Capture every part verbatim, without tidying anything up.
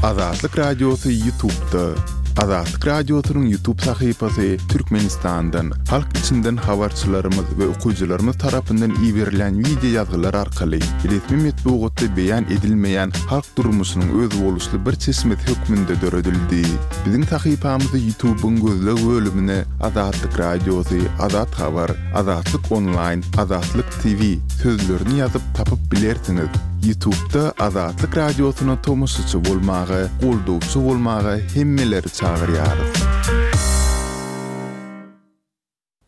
Azatlyk Radiosy YouTube'da. Azatlyk Radiosynyň YouTube sahypasy Türkmenistandan, halk içinden habarçylarymyz we okyjylarymyz tarapyndan iberilen wideo ýazgylar arkaly resmi metbugatda beýan edilmeýän halk durmuşynyň özboluşly bir çeşmesi hökmünde döredildi. Biziň sahypamyzy YouTube'yň gözleg bölümine Azatlyk Radiosy, Azat Habar, Azatlyk Online, Azatlyk T V sözlerini ýazyp tapyp bilersiňiz. YouTube'da Azatlyk Radiosyna tomaşaçy bolmaga, goldawçy bolmaga hemmeleri çagyrýarys.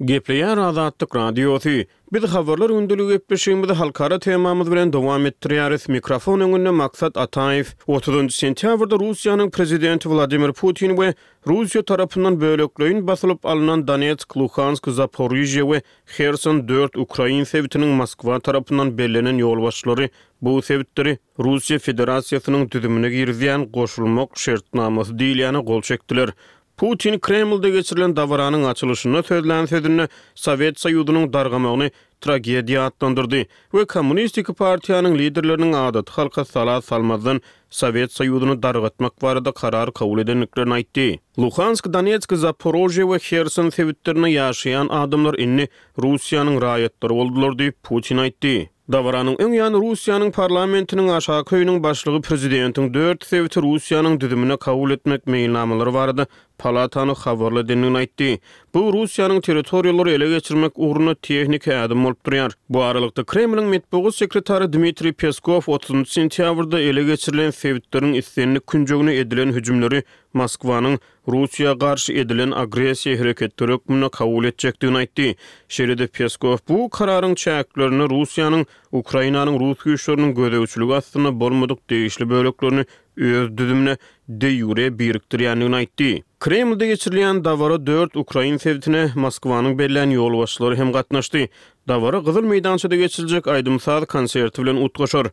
Gepleýär Azatlyk Radiosy. Biz habarlar gündeligi gepleşigimizi halkara temamyz bilen dowam etdirýäris. Mikrofon öňünde Maksat Ataýew. otuzynjy sentýabrda Russiýanyň prezidenti Wladimir Putin we Russiýa tarapyndan bölekleýin basylyp alynan Donetsk, Luhansk, Zaporižýa we Herson dört Ukrain sebitiniň Moskwa tarapyndan bellenen ýolbaşçylary bu sebitleri Russiýa Federasiýasynyň düzümine girizýän goşulmak şertnamasy diýilýäne gol çekdiler. Putin Kremlde geçirilen dabaranyň açylyşynda sözlän sözünde Sowet Soýuzynyň dargamagyny tragediýa atlandyrdy we Kommunistik partiýanyň liderleriniň adaty halka sala salmazdan Sowet Soýuzyny dargatmak barada karar kabul edendiklerini aýtdy. Luhansk, Donetsk, Zaporožýe we Herson sebitlerinde ýaşaýan adamlar indi Russiýanyň raýatlary boldular diýip Putin aýtdy. Dabaranyň öň ýany Russiýanyň parlamentiniň aşaky öýüniň başlygy prezidentiň dört sebiti Russiýanyň düzümine kabul etmek meýilnamalary barada palatany habarly edendigini aýtdy. Bu Russiýanyň territoriýalary ele geçirmek ugrunda tehniki ädim bolup durýar. Bu aralykda Kremliň metbugat sekretary Dmitriý Peskow otuzynjy sentýabrda ele geçirilen sebitleriň islendik künjegine edilen hüjümleri Moskwanyň Russiýa garşy edilen agressiýa hereketleri hökmünde kabul etjekdigini aýtdy. Şeýle-de Peskow bu kararyň çäklerinde Russiýanyň Ukrainanyň rus güýçleriniň gözegçiligi astynda bolmadyk degişli böleklerini öz düzümine de jure birikdirýändigini aýtdy. Kremlde geçirilýän dabara dört Ukrain sebitine Moskwanyň bellän ýolbaşçylary hem gatnaşdy. Dabara Gyzyl meýdançada geçiriljek aýdym-saz konserti bilen utgaşar.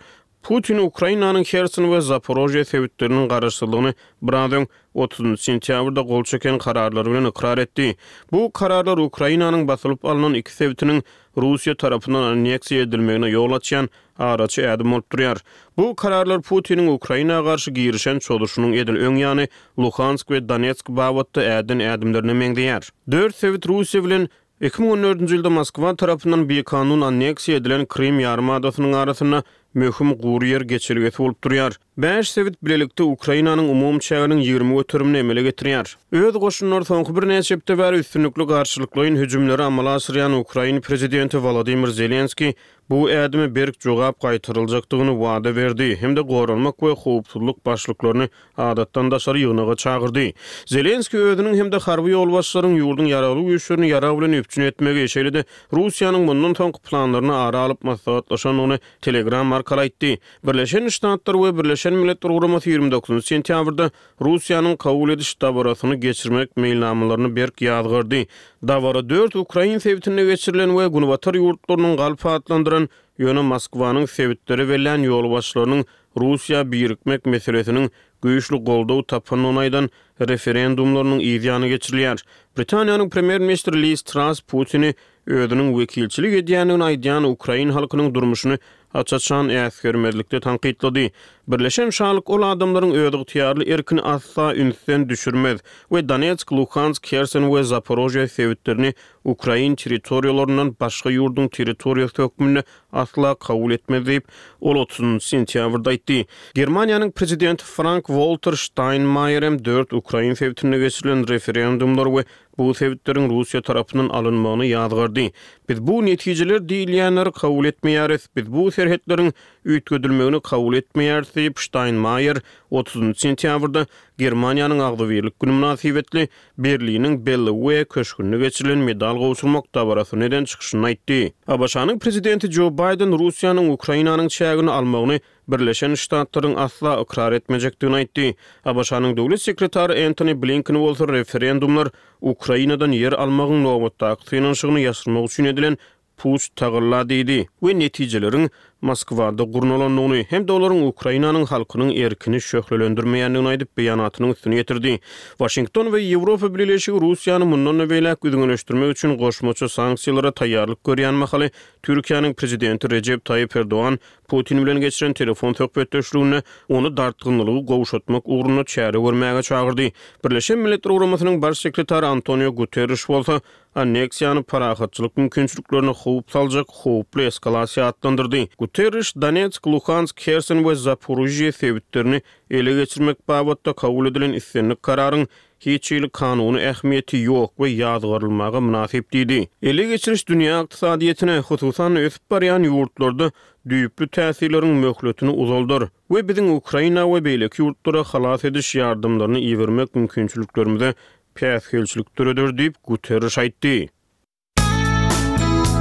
Putin Ukrainanyň Herson we Zaporožýe sebitleriniň garaşsyzlygyny biraz öň otuzynjy sentýabrda gol çeken kararlary bilen ykrar etdi. Bu kararlar Ukrainanyň basylyp alynan iki sebitiniň Russiýa tarapyndan anneksiýa edilmegine ýol açýan araçy ädim bolup durýar. Bu kararlar Putiniň Ukraina garşy girişen çozuşynyň edil öň ýany Luhansk we Donetsk babatda äden ädimlerine meňzeýär. Dört sebit Russiýa bilen iki müň on dördünji ýylda Moskwa tarapyndan bikanun anneksiýa edilen Krym ýarymadasynyň arasynda möhüm gury ýer geçelgesi bolup durýar. Bäş sebit bilelikde Ukrainanyň umum çäginiň ýigrimi göterimini emele getirýär. Öz goşunlary soňky birnäçe hepde bäri üstünlikli garşylyklaýyn hüjümleri amala aşyrýan Ukrain prezidenti Volodymyr Zelenskiý bu ädime berk jogap gaýtaryljakdygyny wada berdi hem-de goranmak we howpsuzlyk başlyklaryny adatdan daşary ýygnaga çagyrdy. Zelenskiý özüniň hem-de harby ýolbaşçylaryň ýurduň ýaragly güýçlerini ýarag bilen üpjün etmegi, şeýle-de Russiýanyň mundan soňky planlaryny ara alyp maslahatlaşandygyny Telegram arkaly aýtdy. Birleşen Ştatlar we Birleşen Milletler Guramasy ýigrimi dokuzynjy sentýabrda Russiýanyň kabul ediş dabarasyny geçirmek meýilnamalaryny berk ýazgardy. Dabara dört Ukrain sebitinde geçirilen we Günbatar ýurtlarynyň galp atlandyran, ýöne Moskwanyň sebitleri bellän ýolbaşçylarynyň Russiýa birikmek meselesiniň güýçli goldaw tapandygyny aýdan referendumlarynyň yz ýany geçirilýär. Britaniýanyň premýer-ministri Liz Truss Putini özüniň wekilçilik edýändigini aýdýan Ukrain halkynyň durmuşyny aç-açan äsgermezlikde tankytlady. Birleşen Şalyk ol adamlaryň özygtyýarly erkini asla ünsden düşürmez we Donetsk, Luhansk, Herson we Zaporožýe sebitlerini Ukrain territoriýalaryndan başga ýurduň territoriýasy hökmünde asla kabul etmez diýip, ol otuzynjy sentýabrda aýtdy. Germaniýanyň prezidenti Frank-Walter Steinmeier hem dört Ukrain sebitinde geçirilen referendumlar we bu sebitleriň Russiýa tarapyndan alynmagyny ýazgardy. Biz bu netijeler diýilýänleri kabul etmeýäris, biz bu serhetleriň üýtgedilmegini kabul etmeýäris diýip Steinmeier otuzynjy sentýabrda Germaniýanyň agzybirlik günü mynasybetli Berliniň Bellevue köşgünde geçirilen medal gowşurmak dabarasyny eden çykyşyny aýtdy. A B Ş-nyň prezidenti Joe Biden Russiýanyň Ukrainanyň çägini almagyny Birleşen Ştatlaryň asla ykrar etmejekdigini aýtdy. A B Ş-nyň döwlet sekretary Antony Blinken bolsa referendumlar Ukrainadan ýer almagyň nobatdaky synanyşygyny ýaşyrmak üçin edilen puç tagalla diýdi we netijeleriň Moskwada gurnalandygyny hem-de olaryň Ukrainanyň halkynyň erkini şöhlelendirmeýändigini aýdyp, beýanatynyň üstüni ýetirdi. Waşington we Ýewropa Bileleşigi Russiýany mundan-da beýläk üzňeleşdirmek üçin goşmaça sanksiýalara taýýarlyk görýän mahaly Türkiýäniň prezidenti Rejep Taýyp Erdogan Putin bilen geçiren telefon söhbetdeşliginde ony dartgynlygy gowşatmak ugrunda çäre görmäge çagyrdy. Birleşen Milletler Guramasynyň Baş sekretary Antonio Guterriş bolsa anneksiýany parahatçylyk mümkinçiliklerine howp saljak howply eskalasiýa atlandyrdy. Guterriş Donetsk, Luhansk, Herson we Zaporižýe sebitlerini ele geçirmek babatda kabul edilen islendik kararyň hiç hili kanuny ähmiýeti ýok we ýazgarylmaga mynasyp diýdi. Ele geçiriş dünýä ykdysadyýetine, hususan ösüp barýan ýurtlarda düýpli täsirleriň möhletini uzaldar we biziň Ukraina we beýleki ýurtlara halas ediş ýardamlaryny ibermek mümkinçiliklerimize päsgelçilik döreder diýip Guterriş aýtdy.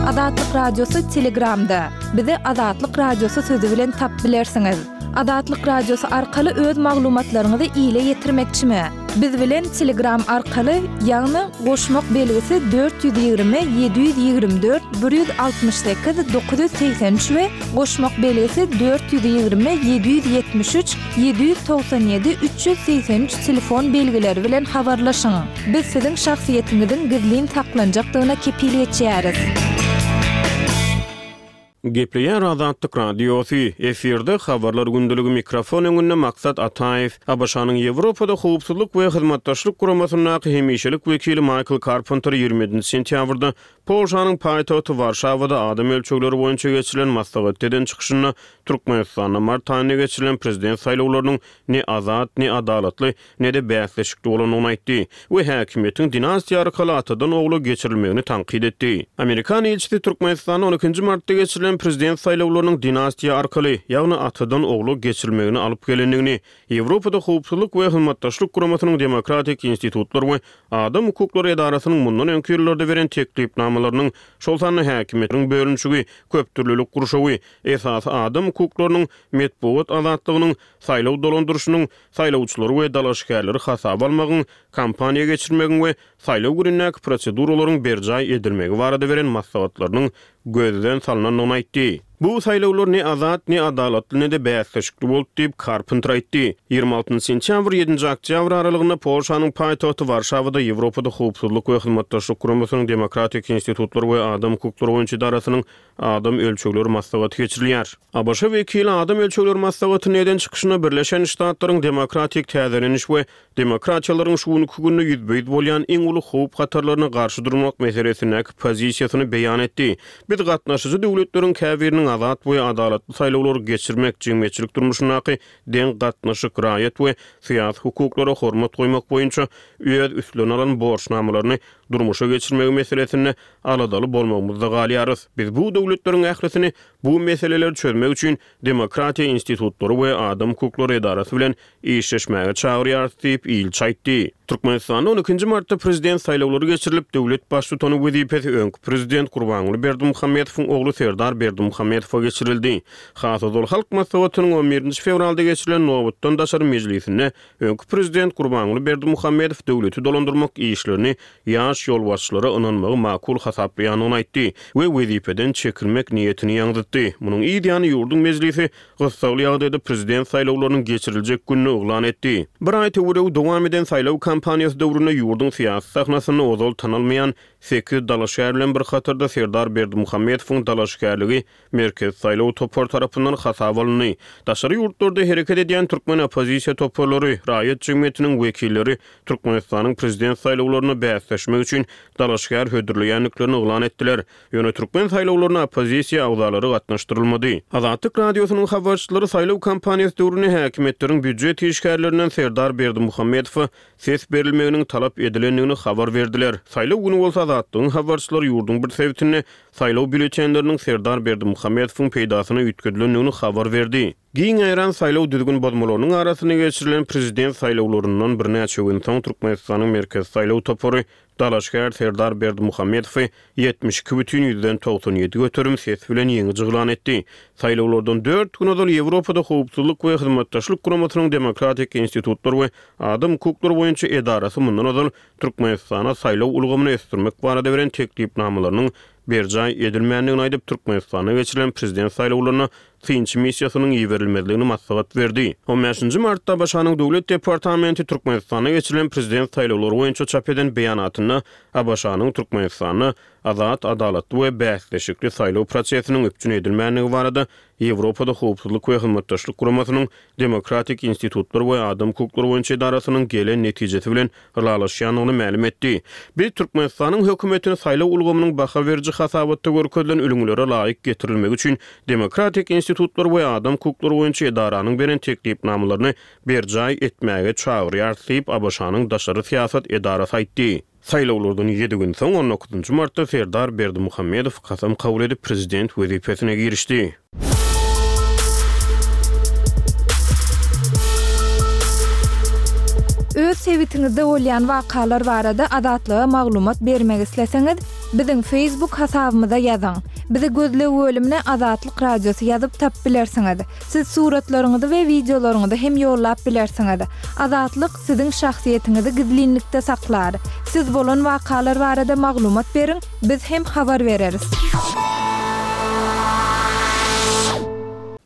Azatlyk Radiosy Telegramda. Bizi Azatlyk Radiosy sözi bilen tapyp bilersiňiz. Azatlyk Radiosy arkaly öz maglumatlaryňyzy ile ýetirmekçimi? Biz bilen Telegram arkaly, ýagny goşmak belgisi dört ýüz ýigrimi ýedi ýüz ýigrimi dört bir ýüz altmyş sekiz dokuz ýüz segsen üç we goşmak belgisi dört ýüz ýigrimi ýedi ýüz ýetmiş üç ýedi ýüz togsan ýedi üç ýüz segsen üç telefon belgileri bilen habarlaşyň. Biz siziň şahsyýetiňiziň gizlin saklanjakdygyna kepil geçýäris. Gepleýär Azatlyk Radiosy, efirde habarlar gündeligi, mikrofon öňünde Maksat Ataýew. A B Ş-nyň Ýewropada Howpsuzlyk we Hyzmatdaşlyk Guramasyndaky hemişelik wekili Maýkl Karpenter ýigrimi ýedinji sentýabrda Polşanyň paýtagty Warşawada adam ölçegleri boýunça geçirilen maslahatda eden çykyşynda Türkmenistanda mart aýynda geçirilen prezident saýlawlarynyň ne azat, ne adalatly, ne-de bäsleşikli bolandygyny aýtdy we häkimiýetiň dinastiýa arkaly atadan ogla geçirilmegini tankyt etdi. Amerikan ilçisi Türkmenistanda on ikinji martda geçirilen prezident saýlawlarynyň dinastiýa arkaly, ýagny atadan ogla geçirilmegini alyp gelendigini, Ýewropada Howpsuzlyk we Hyzmatdaşlyk Guramasynyň Demokratik institutlar we adam hukuklary edarasynyň mundan öňki ýyllarda beren teklipnamalarynyň, şol sanda häkimiýetiň bölünişigi, köpdürlülik gurşawy, esasy adam hukuklarynyň, metbugat azatlygynyň, saýlaw dolandyryşynyň, saýlawçylary we dalaşgärleri hasaba almagyň, kampaniýa geçirmegiň we saýlaw günündäki proseduralaryň berjaý edilmegi barada beren maslahatlarynyň gözden salnandygyny aýtdy. Bu saýlawlar ne azat, ne adalatly, ne-de bäsleşikli boldy diýip, Karpenter aýtdy. Ýigrimi altynjy sentýabr, ýedinji oktýabr aralygynda Polşanyň paýtagty Warşawada Ýewropada Howpsuzlyk we Hyzmatdaşlyk Guramasynyň Demokratik institutlar we adam hukuklary boýunça edarasynyň adam ölçegleri maslahaty geçirilýär. A B Ş wekili adam ölçegleri maslahatynda eden çykyşynda Birleşen Ştatlaryň demokratik täzeleniş we demokratiýalaryň şu günki günde ýüzbe-ýüz bolýan iň uly howp hatarlaryna garşy durmak meselesindäki pozisiýasyny beýan etdi. Biz gatnaşyjy döwletleriň käbiriniň azat we adalatly saýlawlary geçirmek, jemgyýetçilik durmuşyndaky deň gatnaşyk, raýat we syýasy hukuklara hormat goýmak boýunça öz üstlerine alan borçnamalaryny durmuşa geçirmegi meselesinde aladaly bolmagymyzda galýarys. Biz bu döwletleriň ählisini bu meseleleri çözmek üçin demokratiýa institutlary we adam hukuklary edarasy bilen işleşmäge çagyrýarys diýip, ilçi aýtdy. Türkmenistanda on ikinji martda prezident saýlawlary geçirilip, döwlet baştutany wezipesi öňki prezident Gurbanguly Berdimuhamedowyň ogly Serdar Berdimuhamedowa geçirildi. Has ozal Halk Maslahatynyň on birinji fewralda geçirilen nobatdan daşary mejlisinde öňki prezident Gurbanguly Berdimuhamedow döwleti dolandyrmak işlerini ýaş ýolbaşçylara ynanmagy makul hasaplaýandygyny aýtdy we wezipeden çekilmek niýetini ýaňzytdy. Munuň yz ýany ýurduň mejlisi gyssagly ýagdaýda prezident saýlawlarynyň geçiriljek gününi yglan etdi. Bir aý töweregi dowam eden saýlaw kampaniýasy döwründe ýurduň syýasy sahnasynda ozal tanalmaýan sekiz dalaşgär bilen bir hatarda Serdar Berdimuhamedowyň dalaşgärligi Merkezi saýlaw topary tarapyndan hasaba alyndy. Daşary ýurtlarda hereket edýän türkmen oppozisiýa toparlary, raýat jemgyýetiniň wekilleri Türkmenistanyň prezident saýlawlaryna bäsleşmek üçin dalaşgär hödürleýändiklerini yglan etdiler. Ýöne türkmen saýlawlaryna oppozisiýa agzalary gatnaşdyrylmady. Azatlyk Radiosynyň habarçylary saýlaw kampaniýasy döwründe häkimiýetleriň býujet işgärlerinden Serdar Berdimuhamedowa ses berilmeginiň talap edilendigini habar berdiler. Saýlaw güni bolsa Azatlygyň habarçylary ýurduň bir sebitinde saýlaw býulletenleriniň Serdar Berdimuhamedowyň peýdasyna üýtgedilendigini habar berdi. Giň ýaýran saýlaw düzgün bozmalarynyň arasynda geçirilen prezident saýlawlaryndan birnäçe gün soň Türkmenistanyň Merkezi saýlaw topary dalaşgär Serdar Berdimuhamedowy ýetmiş iki bütin ýüzden togsan ýedi göterim ses bilen ýeňiji yglan etdi. Saýlawlardan dört gün ozal Ýewropada Howpsuzlyk we Hyzmatdaşlyk Guramasynyň Demokratik institutlar we adam hukuklary boýunça edarasy mundan ozal Türkmenistana saýlaw ulgamyny ösdürmek barada beren teklipnamalarynyň berjaý edilmändigini aýdyp, Türkmenistanda geçirilen prezident saýlawlaryna synçy missiýasynyň iberilmezligini maslahat berdi. On bäşinji martda ABŞ-nyň Döwlet departamenti Türkmenistanda geçirilen prezident saýlawlary boýunça çap eden beýanatynda ABŞ-nyň Türkmenistanda azat, adalatly we bäsleşikli saýlaw prosesiniň üpjün edilmändigi barada Ýewropada Howpsuzlyk we Hyzmatdaşlyk Guramasynyň Demokratik institutlar we adam hukuklary boýunça edarasynyň gelen netijesi bilen ylalaşýandygyny mälim etdi. Biz Türkmenistanyň hökümetini saýlaw ulgamynyň baha beriji hasabatda görkezilen ülňülere laýyk getirilmegi üçin Demokratik institutlar we adam hukuklary boýunça edaranyň beren teklipnamalaryny berjaý etmäge çagyrýarys diýip, ABŞ-nyň daşary syýasat edarasy aýtdy. Saýlawlardan ýedi gün soň, on dokuzynjy martda Serdar Berdimuhamedow kasam kabul edip, prezident wezipesine girişdi. Öz sebitiňizde bolýan wakalar barada Azatlyga maglumat bermek isleseňiz, biziň Facebook hasabymyza ýazyň. Bizi gözleg bölümine Azatlyk Radiosy ýazyp tapyp bilersiňiz. Siz suratlaryňyzy we wideolaryňyzy hem ýollap bilersiňiz. Azatlyk siziň şahsyýetiňizi gizlinlikde saklar. Siz bolan wakalar barada maglumat beriň, biz hem habar bereris.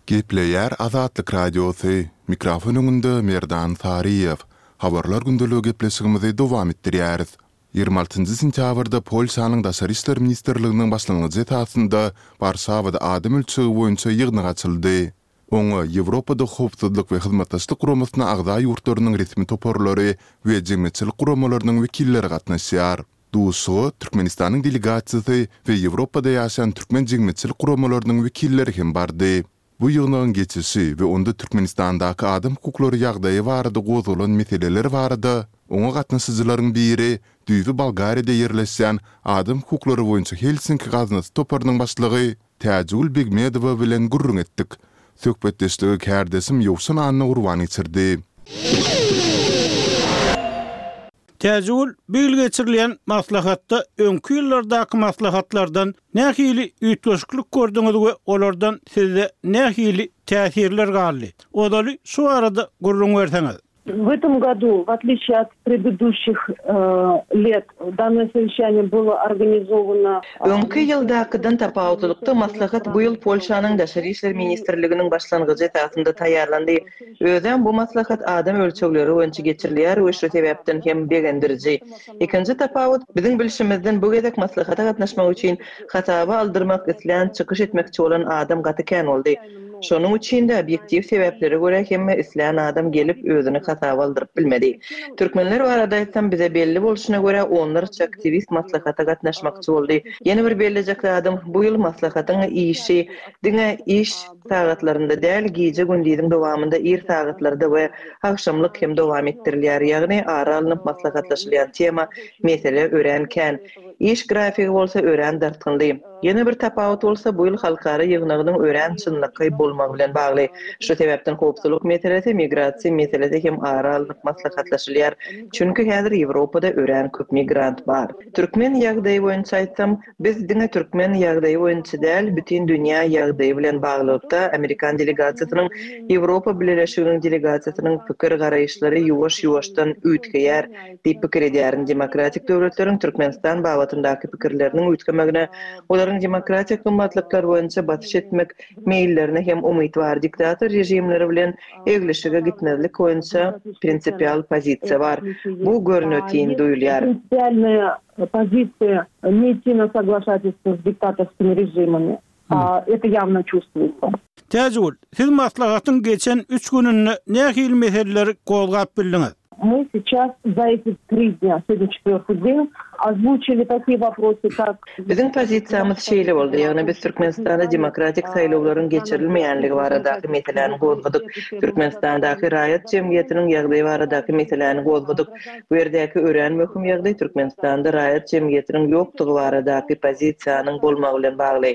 Gepleýär Azatlyk Radiosy. Mikrofon öňünde Merdan Saryýew. Habarlar gündeligi gepleşigimizi dowam etdirýäris. Ýigrimi altynjy sentýabrda Polşanyň Daşary işler ministrliginiň başlangyjy esasynda Warşawada adam ölçegi boýunça ýygnak açyldy. Oňa Ýewropada Howpsuzlyk we Hyzmatdaşlyk Guramasyna agza ýurtlarynyň resmi toparlary we jemgyýetçilik guramalarynyň wekilleri gatnaşýar. Duşuşyga Türkmenistanyň delegasiýasy we Ýewropada ýaşaýan türkmen jemgyýetçilik guramalarynyň wekilleri hem bardy. Bu ýygnagyň geçişi we onda Türkmenistandaky adam hukuklary ýagdaýy barada gozgalan meseleler barada oňa gatnaşyjylaryň biri, düýbi Bolgariýada ýerleşýän Adam hukuklary boýunça Helsinki gaznasy toparynyň başlygy Täjigül Begmedowa bilen gürrüň etdik. Söhbetdeşligi kärdeşim Ýowşan Annagurban geçirdi. Täjigül, bu ýyl geçirilýän maslahatda öňki ýyllardaky maslahatlardan nähili üýtgeşiklik gördüňiz we olardan sizde nähili täsirler galdy? Ozaly şu barada gürrüň berseňiz. В этом году, в отличие от предыдущих лет, данное совещание было организовано Öňki ýyldakydan tapawutlylykda maslahat bu ýyl Polşanyň Daşary işler ministrliginiň başlangyjy esasynda taýýarlandy. Özem bu maslahat adam ölçegleri boýunça geçirilýär we şu sebäpden hem begendiriji. Ikinji tapawut, biziň bilşimizden bu gezek maslahata gatnaşmak üçin hasaba aldyrmak islän, çykyş etmekçi bolan adam gaty kän boldy. Şonuň üçin-de obýektiw sebäplere görä hemme islän adam gelip özüni hasaba aldyryp bilmedi. Türkmenler barada aýtsam bize belli bolşuna görä onlarça aktiwist maslahata gatnaşmakçy boldy. Ýene bir bellejek zadym bu ýyl maslahatyň işi diňe iş sagatlarynda däl gije-gündiziň dowamynda ir sagatlarda we agşamlyk hem dowam etdirilýär. Ýagny ara alnyp maslahatlaşylýan tema, mesele örän kän. Iş grafigi bolsa örän dartgynly. Ýene bir tapawut bolsa bu ýyl halkara ýygnagynyň örän çynlakaý bolmagy bilen bagly. Şu sebäpden howpsuzlyk meselesi, migrasiýa meselesi hem ara alnyp maslahatlaşylýar. Çünki häzir Ýewropada örän köp migrant bar. Türkmen ýagdaýy boýunça aýtsam, biz diňe türkmen ýagdaýy boýunça däl, bütin dünýä ýagdaýy bilen baglylykda amerikan delegasiýasynyň, Ýewropa Bileleşiginiň delegasiýasynyň pikir-garaýyşlary ýuwaş-ýuwaşdan üýtgeýär diýip pikir edýärin. Demokratik döwletleriň Türkmenistan babatyndaky pikirleriniň üýtgemegine, olaryň demokratik gymmatlyklar boýunça basyş etmek meýillerine hem umyt bar. Diktator režimleri bilen eglişige gitmezlik boýunça prinsipial pozisiýa bar. Bu görnetin duýulýar. Prinsipialnaýa pozisiýa ne idti na soglašatelstwo s diktatorskimi režimami. Это ýawno çувствуется. Täjigül, siz maslahatyň geçen üç gününde nähili meseleleri gozgap bildiňiz? Мы сейчас за эти три дня, сегодня четвертый день, озвучили такие вопросы, как Biziň pozisiýamyz şeýle boldy, ýagny biz Türkmenistanda demokratik saýlawlaryň geçirilmeýänligi baradaky meseläni gozgadyk, Türkmenistandaky raýat jemgyýetiniň ýagdaýy baradaky meseläni gozgadyk. Bu ýerdäki örän möhüm ýagdaý Türkmenistanda raýat jemgyýetiniň ýokdugy baradaky pozisiýanyň bolmagy bilen bagly.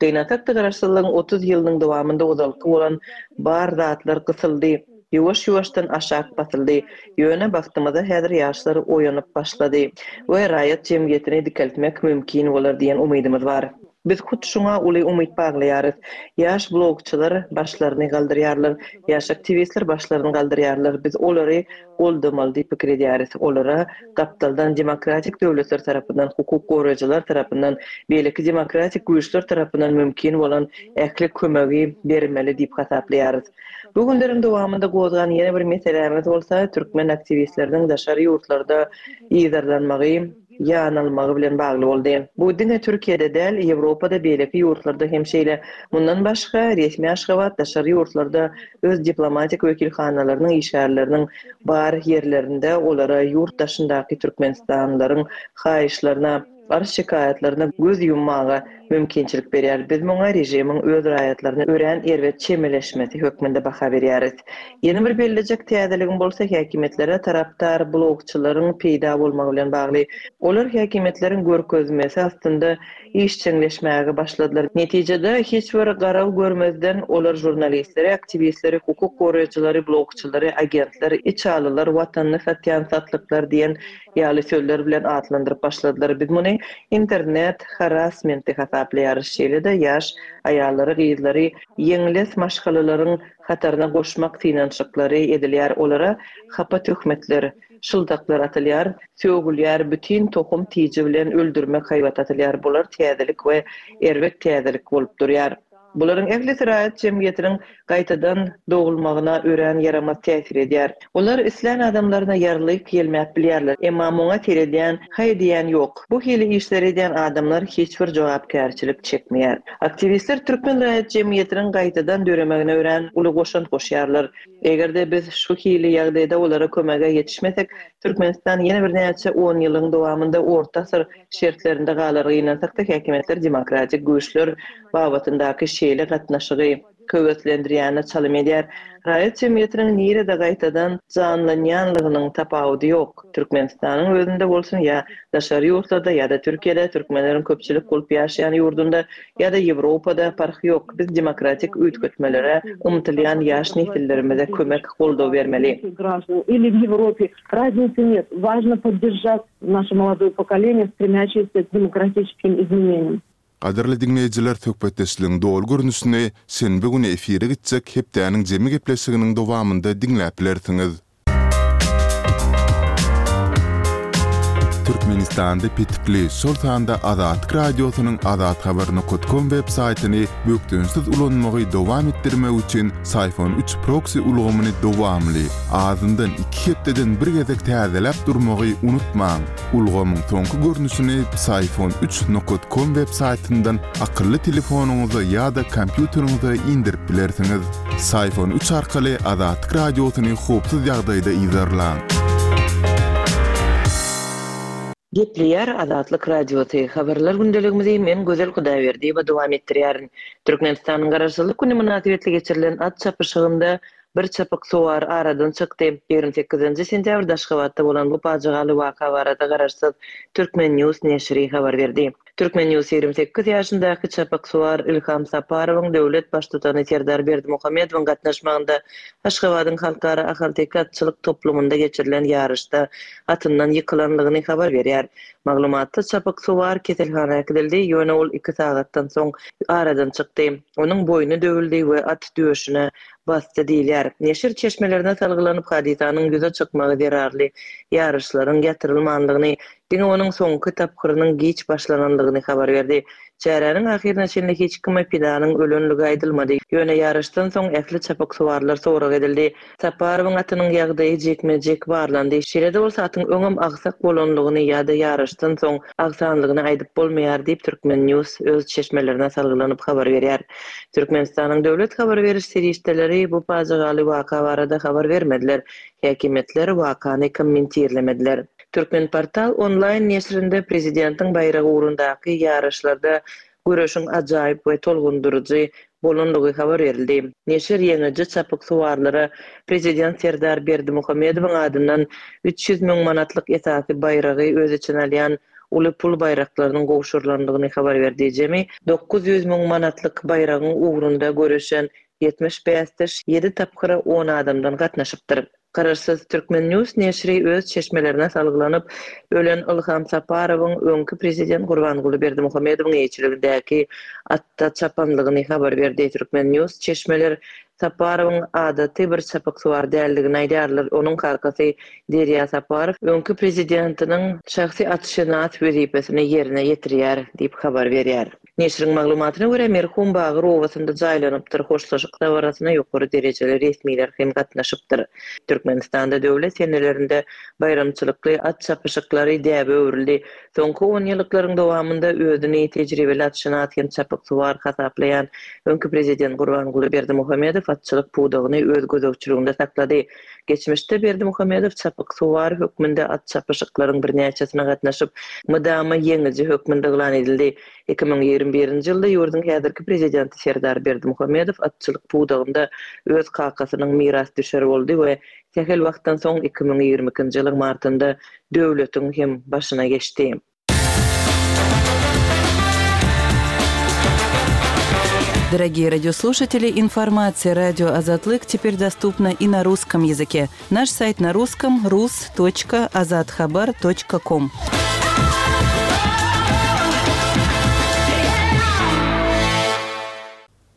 Gynansak-da Garaşsyzlygyň otuz ýylynyň dowamynda ozalky bolan bar zatlar gysyldy, ýuwaş-ýuwaşdan aşak basyldy. Ýöne bagtymyza häzir ýaşlar oýanyp başlady we raýat jemgyýetini dikeltmek mümkin bolar diýen umydymyz bar. Biz hut şuňa uly umyt baglaýarys. Ýaş blogçylar başlaryny galdyrýarlar, ýaş aktiwistler başlaryny galdyrýarlar. Biz olary goldamaly diýip pikir edýäris. Olara gapdaldan demokratik döwletler tarapyndan, hukuk goraýjylar tarapyndan, beýleki demokratik güýçler tarapyndan mümkin bolan ähli kömegi bermeli diýip hasaplaýarys. Bu günleriň dowamynda gozgan ýene bir meselämiz bolsa türkmen aktiwistleriniň daşary ýurtlarda yzarlanmagy, ýanalmagy bilen bagly boldy. Bu diňe Türkiýede däl, Ýewropada, beýleki ýurtlarda hem şeýle. Mundan başga, resmi Aşgabat daşary ýurtlarda öz diplomatik wekilhanalarynyň işgärleriniň bar ýerlerinde olara ýurt daşyndaky türkmenistanlylaryň haýyşlaryna, arz-şikaýatlaryna göz ýummaga mümkinçilik berýär. Biz muňa režimiň öz raýatlaryna örän erbet çemeleşmesi hökmünde baha berýäris. Ýene bir bellejek täzeligim bolsa häkimiýetlere tarapdar blogçylaryň peýda bolmagy bilen bagly. Olar häkimiýetleriň görkezmesi astynda işjeňleşmäge başladylar. Netijede, hiç bir garaw görmezden olar žurnalistleri, aktiwistleri, hukuk goraýjylary, blogçylary, agentler, içalylar, watanyny satýan satlyklar diýen ýaly sözler bilen atlandyryp başladylar. Biz muny internet harassmenti hasaplaýarys. Şeýle-de ýaş aýallary, gyzlary ýeňles maşgalalaryň hataryna goşmak synanyşyklary edilýär. Olara hapa töhmetler, şyldaklar atylýar, sögülýär, bütin tohum-tiji bilen öldürmek haýbaty atylýar. Bular täzelik we erbet täzelik bolup durýar. Bularyň ählisi raýat jemgyýetiniň gaýtadan dogulmagyna örän ýaramaz täsir edýär. Olar islän adamlaryna ýarlyk ýelmäp bilýärler, emma muňa seredýän, haý diýýän ýok. Bu hili işleri edýän adamlar hiç bir jogapkärçilik çekmeýär. Aktiwistler türkmen raýat jemgyýetiniň gaýtadan döremegine örän uly goşant goşýarlar. Eger-de biz şu hili ýagdaýda olara kömege ýetişmesek, Türkmenistan ýene birnäçe on ýylyň dowamynda orta asyr şertlerinde galar. Gynansakda, häkimiýetler demokratik güýçler babatyndaky şeýle gatnaşygy höweslendirýäne çalym edýär. Raýat jemgyýetiniň nirede gaýtadan janlanýanlygynyň tapawudy ýok. Türkmenistanyň özünde bolsun ýa daşary ýurtlarda ýa-da Türkiýede, türkmenleriň köpçülik bolup ýaşaýan ýurdunda ýa-da Ýewropada parhy ýok. Biz demokratik üýtgetmelere ymtylýan ýaş nesillerimize kömek, goldaw bermeli. Или в Европе. Разницы нет. Важно поддержать наше молодое поколение, стремящееся к демократическим изменениям. Gadyrly diňleýjiler, söhbetdeşligiň doly görnüşini şenbe güni efire gitjek Hepdäniň jemi gepleşiginiň dowamynda diňläp bilersiňiz. Türkmenistanda petikli, şol sanda Azatlyk Radiosynyň azathabar nokat kom web saýtyny bökdençsiz ulanmagy dowam etdirmek üçin Syfon üç proksi ulgamyny dowamly, azyndan iki hepdeden bir gezek täzeläp durmagy unutmaň. Ulgamyň soňky görnüşini Syfon üç nokat kom web saýtyndan akylly telefonyňyza ýa-da kompýuteriňize indirip bilersiňiz. Syfon üç arkaly Azatlyk Radiosyny howpsuz ýagdaýda yzarlaň. Gepleýär Azatlyk Radiosy. Habarlar gündeligimizi men Gözel Hudaýberdiýewa dowam etdirýärin. Türkmenistanyň Garaşsyzlyk güni mynasybetli geçirilen at çapyşygynda bir çapyksuwar aradan çykdy. Ýigrimi sekizinji sentýabrda Aşgabatda bolan bu pajygaly waka barada Garaşsyz Türkmen News neşiri habar berdi. Türkmen News ýigrimi sekiz ýaşyndaky çapyksuwar Ilham Saparowyň döwlet Baştutany Serdar Berdimuhamedowyň gatnaşmagynda Aşgabadyň Halkara ahalteke atçylyk toplumynda geçirilen ýaryşda atyndan ýykylanlygyny habar berýär. Maglumatda çapyksuwar keselhana äkidildi, ýöne ol iki sagatdan soň aradan çykdy. Onuň boýny döwüldi we at döşüne basdy diýilýär. Neşir çeşmelerine salgylanyp, hadysanyň ýüze çykmagy zerarly ýaryşlaryň ýatyrylmanlygyny, diňe onuň soňky tapgyrynyň giç başlananlygyny habar berdi. Çäräniň ahyryna çenli hiç kime pidanyň ölenligi aýdylmady. Ýöne ýaryşdan soň ähli çapyksuwarlar sorag edildi. Saparowyň atynyň ýagdaýy jikme-jik barlandy. Şeýle-de bolsa atyň öňem agsak bolanlygyny ýa-da ýaryşdan soň agsanlygyny aýdyp bolmaýar diýip Türkmen News öz çeşmelerine salgylanyp habar berýär. Türkmenistanyň döwlet habar beriş serişdeleri bu pajygaly waka barada habar bermediler. Häkimiýetler wakany kommentirlemediler. Türkmenportal onlaýn neşirinde prezidentiň baýragy ugrundaky ýaryşlarda göreşiň ajaýyp we tolgundyryjy bolanlygy habar berildi. Neşir ýeňiji çapyksuwarlara prezident Serdar Berdimuhamedowyň adyndan üç ýüz müň manatlyk esasy baýragy öz içine alýan uly pul baýraklarynyň gowşurylandygyny habar berdi. Jemi dokuz ýüz müň manatlyk baýragyň ugrunda göreşen ýetmiş bäsdeş ýedi tapgyra on adamdan gatnaşypdyr. Garaşsyz Turkmen News neşiri öz çeşmelerine salgylanyp, ölen Ylham Saparowyň öňki prezident Gurbanguly Berdimuhamedowyň eýeçiligindäki atda çapanlygyny habar berdi. Turkmen News çeşmeler Saparowyň adaty bir çapyksuwar däldigini aýdýarlar. Onuň kakasy Derýa Saparow öňki prezidentiniň şahsy atşynas wezipesini ýerine ýetirýär diýip habar berýär. Neşiriň maglumatyna görä, merhum Bagyr obasynda jaýlanypdyr, hoşlaşyk dabarasyna ýokary derejeli resmiler hem gatnaşypdyr. Türkmenistanda döwlet senelerinde baýramçylykly at çapyşyklary däbe öwrüldi. Soňky onýyllyklaryň dowamynda özüni tejribeli atşynas hem çapyksuwar hasaplaýan öňki prezident Gurbanguly Berdimuhamedow atçylyk pudagyny öz gözegçiliginde saklady. Geçmişde Berdimuhamedow çapyksuwar hökmünde at çapyşyklaryň birnäçesine gatnaşyp, mydama ýeňiji hökmünde yglan edildi. Iki müň ýigrimi birinji ýylda ýurduň häzirki prezidenti Serdar Berdimuhamedow atçylyk pudagynda öz kakasynyň mirasdüşeri boldy we sähel wagtdan soň iki müň ýigrimi ikinji ýylyň martynda döwletiň hem başyna geçdi. Дорогие радиослушатели, информация радио Азатлык теперь доступна и на русском языке. Наш сайт на русском rus.azathabar.com.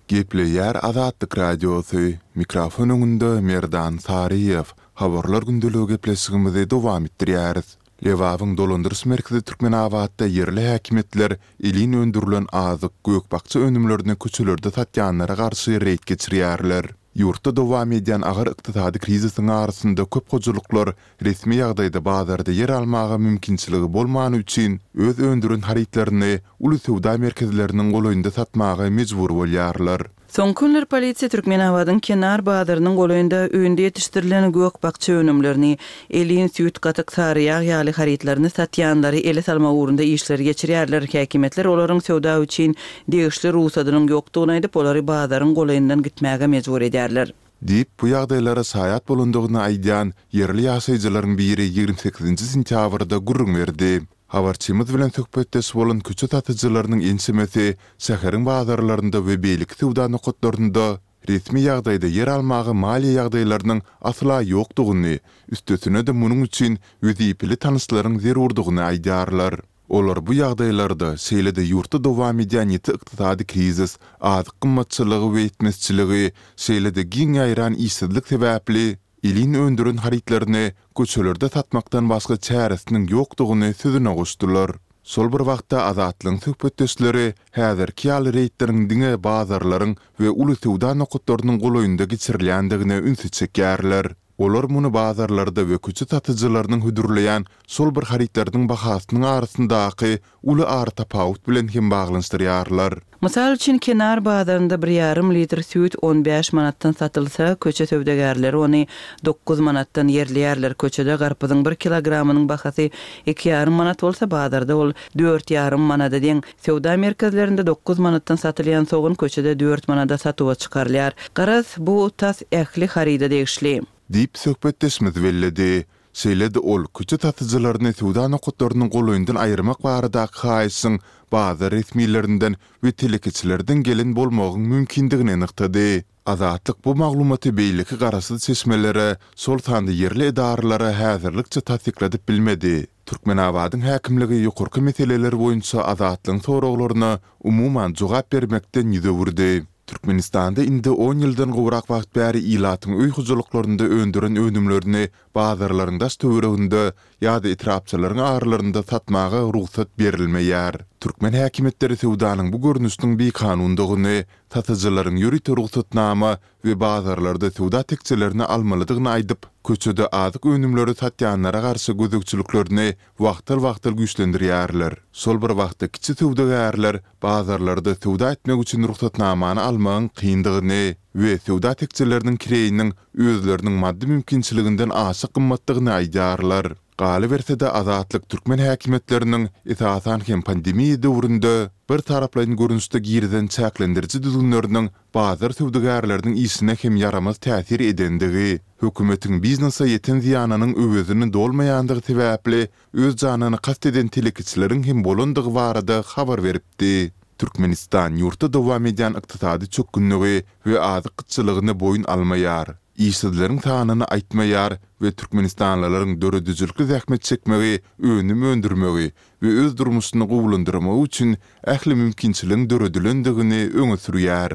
Gepleýär Azatlyk Radiosy, mikrofon öňünde Merdan Saryýew. Habarlar gündeligi gepleşigimizi dowam etdirýäris. Lebabyň dolandyryş merkezi Türkmenabatda ýerli häkimiýetler elin öndürilen azyk, gök-bakja önümlerini köçelerde satýanlara garşy reýd geçirýärler. Ýurtda dowam edýän agyr ykdysady krizisiň arasynda köp hojalyklar resmi ýagdaýda bazarda ýer almaga mümkinçiligi bolmany üçin öz öndüren harytlaryny uly söwda merkezleriniň golaýynda satmaga mejbur bolýarlar. Soňky günler polisiýa Türkmenabadyň kenar bazarynyň golaýynda öýünde ýetişdirilen gök-bakja önümlerini, elin süýt, gatyk, sary ýag ýaly harytlaryny satýanlary ele salmak ugrunda işleri geçirýärler. Häkimiýetler olaryň söwda üçin degişli rugsadynyň ýokdugyny aýdyp, olary bazaryň golaýyndan gitmäge mejbur edýärler. Diýip, bu ýagdaýlara şaýat bolandygyny aýdýan ýerli ýaşaýjylaryň biri ýigrimi sekizinji sentýabrda gürrüň berdi. Habarçymyz bilen söhbetdeş bolan köçe satyjylarynyň ençemesi şäheriň bazarlarynda we beýleki söwda nokatlarynda resmi ýagdaýda ýer almaga maliýe ýagdaýlarynyň asla ýokdugyny, üstesine-de munuň üçin wezipeli tanyşlaryň zerurdygyny aýdýarlar. Olar bu ýagdaýlarda, şeýle-de ýurtda dowam edýän ýiti ykdysady krizis, azyk gymmatçylygy we ýetmezçiligi, şeýle-de giň ýaýran işsizlik sebäpli elin öndüren harytlaryny köçelerde satmakdan başga çäresiniň ýokdugyny sözüne goşdular. Şol bir wagtda Azatlygyň söhbetdeşleri häzirki ýaly reýdleriň diňe bazarlaryň we uly söwda nokatlarynyň golaýynda geçirilýändigine ünsi çekýärler. Olar muny bazarlarda we köçe satyjylarynyň hödürleýän şol bir harytlarynyň bahasynyň arasyndaky uly aratapawut bilen hem baglanyşdyrýarlar. Mysal üçin, kenar bazarynda bir ýarym litr süýt on bäş manatdan satylsa, köçe söwdagärleri ony dokuz manatdan ýerleýärler. Köçede garpyzyň bir kilogramynyň bahasy iki ýarym manat bolsa, bazarda ol dört ýarym manada deň. Söwda merkezlerinde dokuz manatdan satylýan sogan köçede dört manada satuwa çykarylýar. Garaz, bu tas ähli haryda degişli. Diýip söhbetdeşimiz belledi. Şeýle-de ol köçe satyjylaryny söwda nokatlarynyň golaýyndan aýyrmak baradaky haýyşyň bazar resmilerinden we telekeçilerden gelen bolmagyň mümkindigini nygtady. Azatlyk bu maglumaty beýleki garaşsyz çeşmelere, şol sanda ýerli edaralara häzirlikçe tassykladyp bilmedi. Türkmenabadyň häkimligi ýokarky meseleler boýunça Azatlygyň soraglaryna umuman jogap bermekden ýüz öwürdi. Türkmenistanda indi on ýyldan gowrak wagt bäri ilatyň öý hojalyklarynda öndüren önümlerini bazarlaryň daş töwereginde ýa-da etrapçalaryň aralarynda satmaga rugsat berilmeýär. Türkmen häkimiýetleri söwdanyň bu görnüşiniň bikanundygyny, satyjylaryň ýörite rugsatnama we bazarlarda söwda tekjelerini almalydygyny aýdyp, köçede azyk önümleri satýanlara garşy gözegçiliklerini wagtal-wagtal güýçlendirýärler. Şol bir wagtda kiçi söwdagärler bazarlarda söwda etmek üçin rugsatnamany almagyň kyndygyny we söwda tekjeleriniň kireýiniň özleriniň maddy mümkinçiliginden aşa gymmatdygyny aýdýarlar. Galyberse-de Azatlyk türkmen häkimiýetleriniň esasan hem pandemiýa döwründe bir taraplaýyn görnüşde girizen çäklendiriji düzgünleriniň bazar söwdagärleriniň işine hem ýaramaz täsir edendigi, hökümetiň biznese ýeten zyýanynyň öwezini dolmaýandygy sebäpli öz janyny kast eden telekeçileriň hem bolandygy barada habar beripdi. Türkmenistan ýurtda dowam edýän ykdysady çökgünligi we azyk gytçylygyny boýun almaýar, işsizleriň sanyny aýtmaýar we türkmenistanlylaryň döredijilikli zähmet çekmegi, önüm öndürmegi we öz durmuşyny gowulandyrmagy üçin ähli mümkinçiligiň döredilendigini öňe sürýär.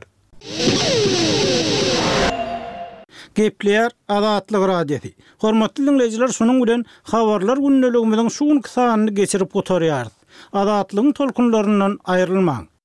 Gepleýär Azatlyk Radiosy. Hormatly diňleýjiler, şunuň bilen Habarlar gündeligimiziň şu günki sanyny geçirip gutarýarys. Azatlygyň tolkunlaryndan aýrylmaň!